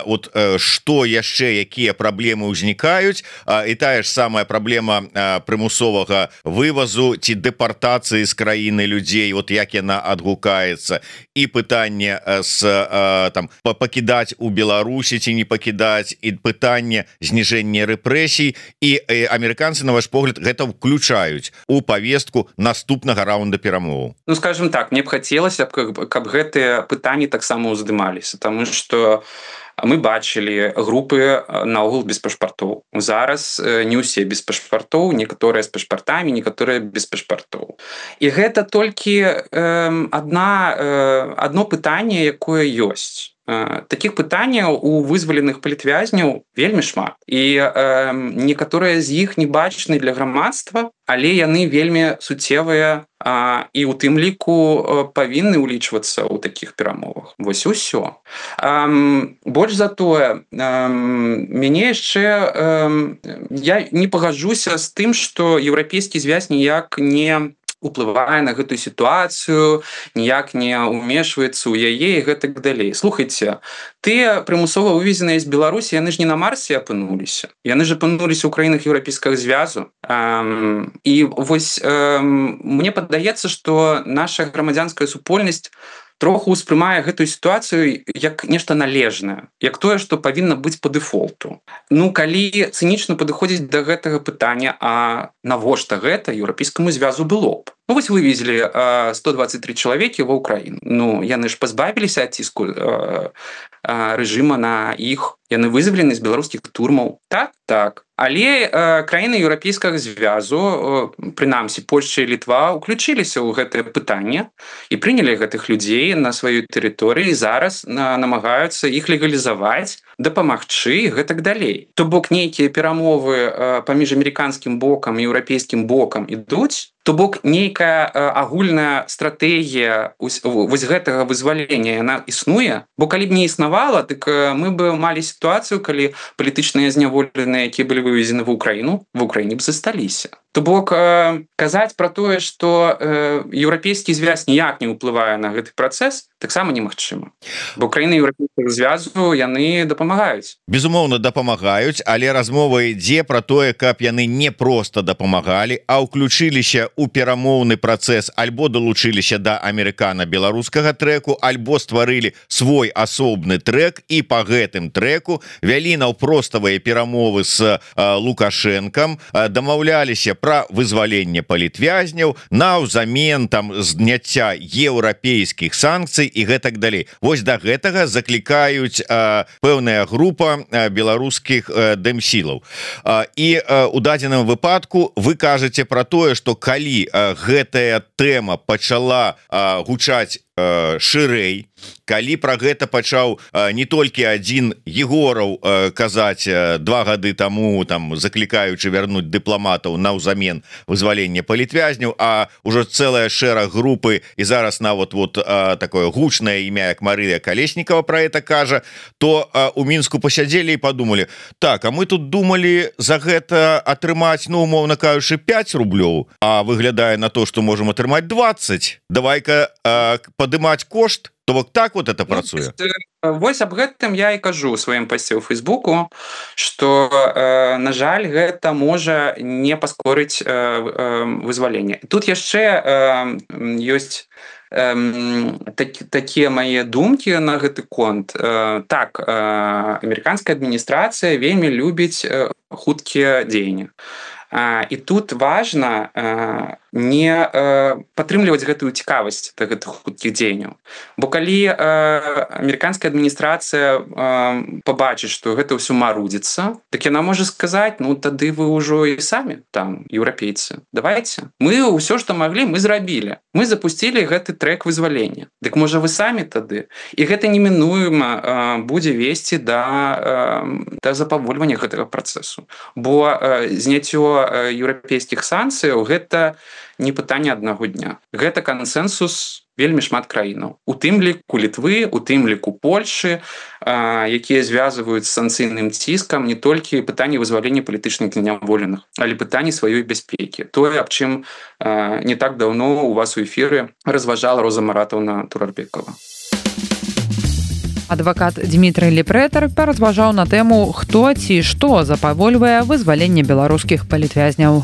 вот што яшчэ, якія праблемы ўзнікаюць, і тая ж самая праблема прымусовага вывазу ці дэпартацыі з краіны людзей, вот як яна адгукаецца, і пытанне там пакідаць у Беларусі ці не пакідаць, і пытанне зніжэння рэпрэсій, і амерыканцы, на ваш погляд, гэта ўключаюць у повестку наступнага раунда перамоваў. Скажем так, мне б хацелася, каб гэтыя пытанні таксама ўздымаліся, таму што мы бачылі групы наогул без пашпартоў. Зараз не ўсе без пашпартоў, некаторыя з пашпартамі, некаторыя без пашпартоў. І гэта толькі адно пытанне, якое ёсць. Такіх пытанняў у вызваленых палітвязняў вельмі шмат. І некаторыя з іх не бачны для грамадства, але яны вельмі суцевыя і ў тым ліку павінны ўлічвацца ў такіх перамовах. Вось і ўсё. Больш за тое, мяне яшчэ... Я не пагаджуся з тым, што еўрапейскі звяз ніяк не уплывае на гэтую сітуацыю, ніяк не ўмешваецца ў яе і гэтак далей. Слухайце, тыя прымусова вывезеныя з Беларусі, яны ж не на Марсе апынуліся. Яны ж апынуліся ў краінах Еўрапейскага звязу. І вось мне падаецца, што наша грамадзянская супольнасць троху ўспрымае гэтую сітуацыю як нешта належнае, як тое, што павінна быць па дэфолту. Калі цынічна падыходзіць да гэтага пытання, а навошта гэта Еўрапейскаму звязу было б? Вось вывезлі 123 чалавекі ва ўкраіну. Яны ж пазбавіліся ад ціску рэжыма на іх. яны вызвалены з беларускіх турмаў. Так. Але краіны еўрапейскага звязу, прынамсі Польшча і Літва, уключыліся ў гэтае пытанне і прынялі гэтых людзей на сваёй тэрыторыі, зараз намагаюцца іх легалізаваць, дапамагчы і гэтак далей. То бок нейкія перамовы паміж амерыканскім бокам і еўрапейскім бокам ідуць, то бок нейкая агульная стратэгія вось гэтага вызвалення яна існуе, бо калі б не існавала, так мы бы малі сітуацыю, калі палітычныя зняволеныя, якія былі вывезены в Украіне б засталіся. То бок казаць пра тое, што еўрапейскі звяз ніяк не ўплывае на гэты працэс, таксама немагчыма. Бо краіны еўрапейскага звязу яны дапамагаюць. Безумоўна, дапамагаюць, але размова ідзе пра тое, каб яны не проста дапамагалі, а ўключыліся ў перамоўны працэс, альбо далучыліся да амерыкана-беларускага трэку, альбо стварылі свой асобны трэк і па гэтым трэку вялі наўпроставыя перамовы з Лукашэнкам, дамаўляліся пра вызваленне палітвязняў наўзамен там зняцця еўрапейскіх санкцый і гэтак далей. Вось да гэтага заклікаюць пэўная група беларускіх дэмсілаў. І у дадзеным выпадку вы кажаце пра тое, што калі гэтая тэма пачала гучаць шырэй, калі пра гэта пачаў не толькі адзін Егораў казаць 2 гады таму, там заклікаючы вярнуць дыпламатаў наўзамен вызвалення палітвязняў, а ўжо цэлая шэраг групы і зараз нават такое гучнае імя, як Марыя Калеснікава пра гэта кажа, то у Мінску пасядзелі і падумалі: так, а мы тут думалі за гэта атрымаць, ну, умоўна кажучы, 5 рублёў, а выглядае на то, што можам атрымаць 20. Давай-ка падымаць кошт. То бок так вот это працуе. Вось аб гэтым я і кажу ў сваім пасце ў Фейсбуку, што, на жаль, гэта можа не паскорыць вызваленне. Тут яшчэ ёсць такія мае думкі на гэты конт. Так, амерыканская адміністрацыя вельмі любіць хуткія дзеянні. І тут важна не падтрымліваць гэтую цікавасць да гэтых хуткіх дзеянняў. Бо калі амерыканская адміністрацыя пабачыць, што гэта ўсё марудзіцца, так яна можа сказаць: ну тады вы ўжо і самі там еўрапейцы, давайте. Мы ўсё, што маглі, мы зрабілі. Мы запусцілі гэты трэк вызвалення. Дык можа вы самі тады. І гэта немінуема будзе весці да запавольвання гэтага працэсу. Бо зняццё еўрапейскіх санкцыяў гэта не пытанне аднаго дня. Гэта кансэнсус вельмі шмат краінаў. У тым ліку Літвы, у тым ліку Польшы, якія звязваюць з санкцыйным ціскам не толькі пытанне вызвалення палітычных зняволеных, але пытанне сваёй бяспекі. Тое, аб чым не так даўно у вас у эфіры разважала Роза Маратаўна Турарбекова. Адвакат Дмітрый Лепрэтар паразважаў на тэму, хто ці што запавольвае вызваленне беларускіх палітвязняў.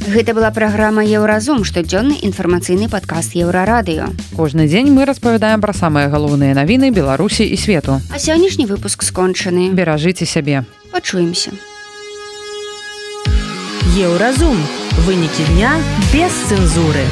Гэта была праграма «Еўразум», штодзённы інфармацыйны падкаст Еўрарадыё. Кожны дзень мы распавядаем пра самыя галоўныя навіны Беларусі і свету. А сённяшні выпуск скончаны. Беражыце сябе. Пачуемся. Еўразум. Вынікі дня без цэнзуры.